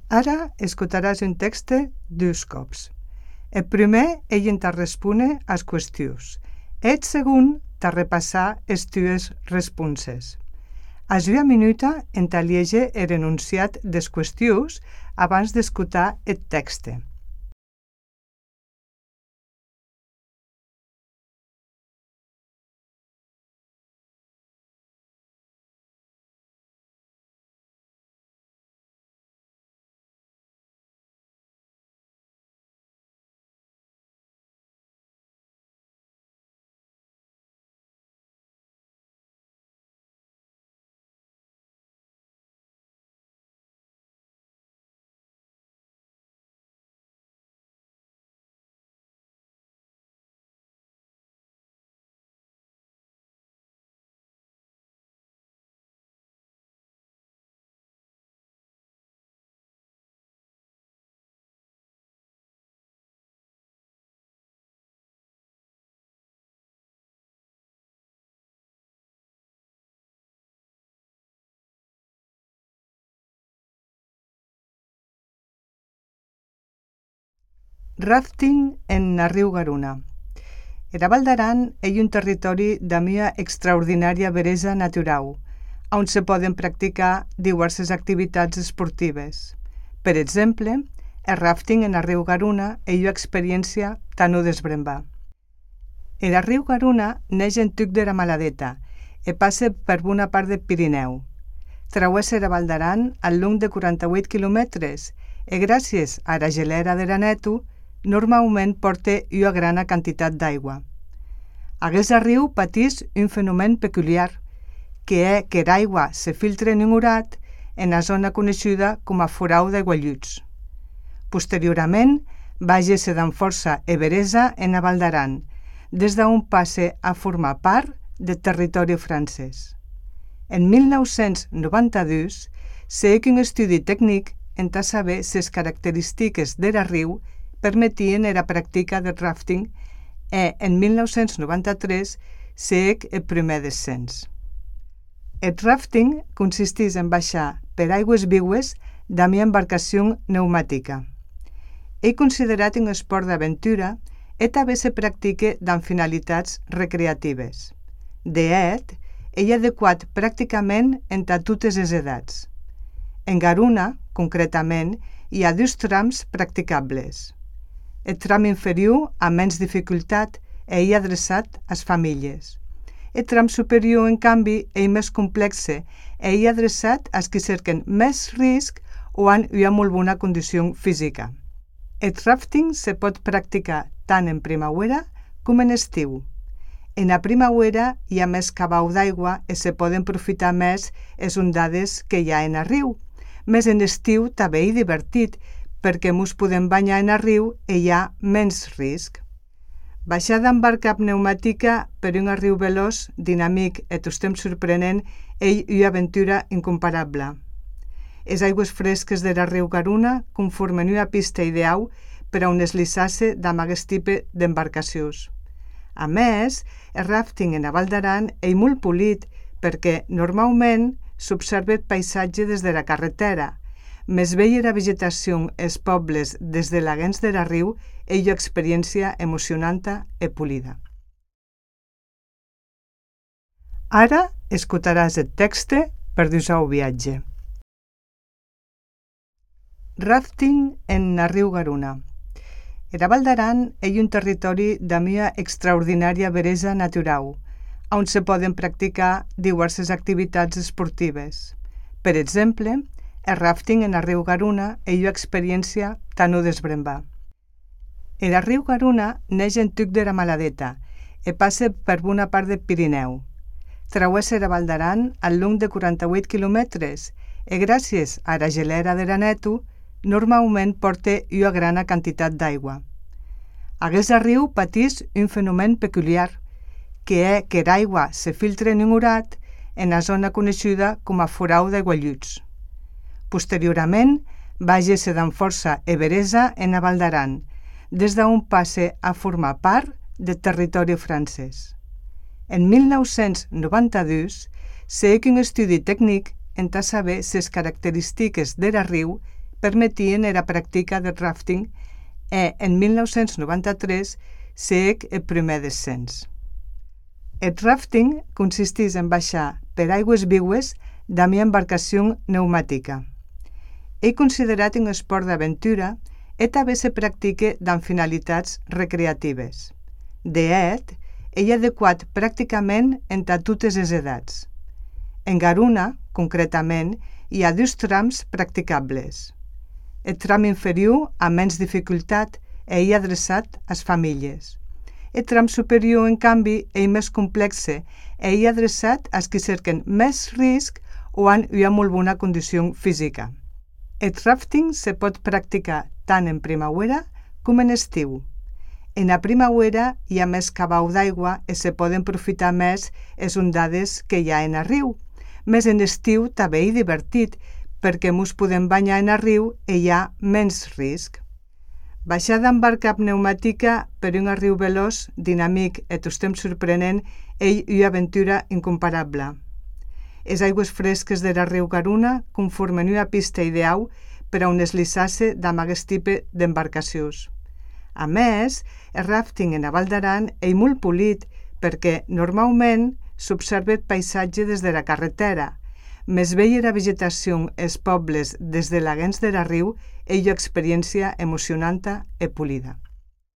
Ara escutaràs un text 2 cops. El primer, ell te respone as qüestions. El segon, te repassar es tues responses. A una minuta te liege el enunciat des qüestions abans d'escutar el text. Rafting en el riu Garuna. El Val d'Aran és un territori d'una extraordinària bellesa natural, on se poden practicar diverses activitats esportives. Per exemple, el rafting en el riu Garuna és una experiència tan desbrembar. El riu Garuna neix en Tuc de la Maladeta i passa per una part del Pirineu. Travessa el Val d'Aran al long de 48 quilòmetres i gràcies a la gelera de l'Aneto normalment porta una gran quantitat d'aigua. Aquest riu pateix un fenomen peculiar, que és que l'aigua se filtra en un urat en la zona coneguda com a Forau d'Aigualluts. Posteriorment, va géixer amb força i bellesa en el Val d'Aran, des d'on passa a formar part del territori francès. En 1992, s'ha fet un estudi tècnic en saber si les característiques del riu permetien la pràctica del rafting i en 1993 s'ha fet el primer descens. El rafting consisteix en baixar per aigües vives amb una embarcació pneumàtica. És considerat un esport d'aventura i també se practica amb finalitats recreatives. De fet, és adequat pràcticament entre totes les edats. En Garuna, concretament, hi ha 2 trams practicables. El tram inferior, amb menys dificultat, és adreçat a les famílies. El tram superior, en canvi, és més complex i és adreçat als qui cerquen més risc o han una molt bona condició física. El rafting se pot practicar tant en primavera com en estiu. En la primavera hi ha més cabal d'aigua i se poden aprofitar més les ondades que hi ha en el riu. Més en estiu també és divertit, perquè ens podem banyar en el riu i hi ha menys risc. Baixar amb barca pneumàtica per un riu veloç, dinàmic i tot temps sorprenent és una aventura incomparable. Les aigües fresques del riu Garuna conformen una pista ideal per a on deslizar-se amb aquest tipus d'embarcacions. A més, el rafting en el Val d'Aran és molt polit perquè normalment s'observa el paisatge des de la carretera. Més veure la vegetació als pobles des de l'aguens del riu és una experiència emocionant i polida. Ara escutaràs el text per dur-se al viatge. Rafting en el riu Garuna. El Val d'Aran és un territori d'una extraordinària bellesa natural, on se poden practicar diverses activitats esportives. Per exemple, el rafting en el riu Garuna és una experiència tan desbrembar. El riu Garuna neix en Tuc de la Maladeta i passa per una part del Pirineu. Travessa el Val d'Aran al long de 48 quilòmetres i gràcies a la gelera de l'Aneto normalment porta una gran quantitat d'aigua. Aquest riu pateix un fenomen peculiar, que és que l'aigua se filtra en un urat en la zona coneguda com a Forau d'Aigualluts. Posteriorment, va géixer amb força i bellesa en el Val d'Aran, des d'on passa a formar part del territori francès. En 1992 s'ha fet un estudi tècnic en saber si les característiques del riu permetien era practica del rafting e en 1993 s'hec el primer descens. El rafting consistís en baixar per aigües viues damb una embarcació pneumàtica. És considerat un esport d'aventura e també se practica amb finalitats recreatives. De fet, és adequat pràcticament entre totes les edats. En Garuna, concretament, hi ha 2 trams practicables. El tram inferior, amb menys dificultat, és adreçat a les famílies. El tram superior, en canvi, és més complex i és adreçat als que cerquen més risc o han una molt bona condició física. El rafting se pot practicar tant en primavera com en estiu. En la primavera hi ha més cabal d'aigua i se poden aprofitar més les ondades que hi ha en el riu. Més en estiu també és divertit perquè ens podem banyar en el riu i hi ha menys risc. Baixar amb barca pneumàtica per un riu veloç, dinàmic i tot temps sorprenent és una aventura incomparable. Les aigües fresques del riu Garuna conformen una pista ideal per a on deslizar-se amb aquest tipus d'embarcacions. A més, el rafting en la Val d'Aran és molt polit perquè normalment s'observa el paisatge des de la carretera. Més veure la vegetació als pobles des de la gens del riu és una experiència emocionant i polida.